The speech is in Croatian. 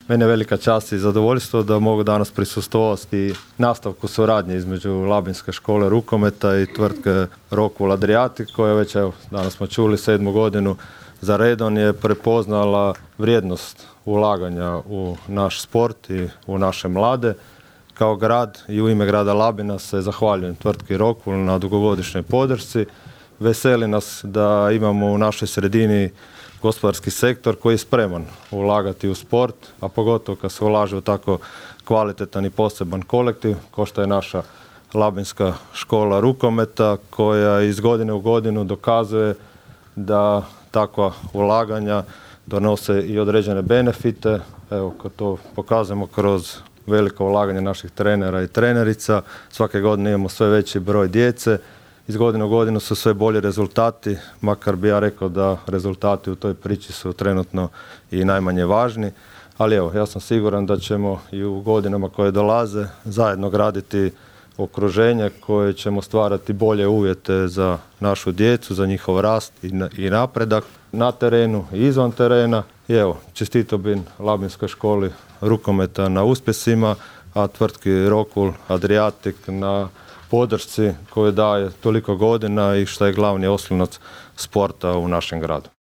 Mene je velika čast i zadovoljstvo da mogu danas prisustvovati nastavku suradnje između Labinske škole rukometa i tvrtke Rockwool Adriatic, koja već, evo, danas smo čuli, 7. godinu za redom je prepoznala vrijednost ulaganja u naš sport i u naše mlade. Kao grad i u ime grada Labina se zahvaljujem tvrtki Rockwool na dugogodišnjoj podršci. Veseli nas da imamo u našoj sredini gospodarski sektor koji je spreman ulagati u sport, a pogotovo kad se ulaže u tako kvalitetan i poseban kolektiv, kao što je naša Labinska škola rukometa, koja iz godine u godinu dokazuje da takva ulaganja donose i određene benefite. Evo, kad to pokazujemo kroz veliko ulaganje naših trenera i trenerica, svake godine imamo sve veći broj djece. Iz godine u godinu su sve bolji rezultati, makar bi ja rekao da rezultati u toj priči su trenutno i najmanje važni. Ali evo, ja sam siguran da ćemo i u godinama koje dolaze zajedno graditi okruženje koje ćemo stvarati bolje uvjete za našu djecu, za njihov rast i napredak na terenu i izvan terena. I evo, čestito bi Labinskoj školi rukometa na uspjesima, a tvrtki Rockwool Adriatic na podršci koju daje toliko godina i što je glavni oslonac sporta u našem gradu.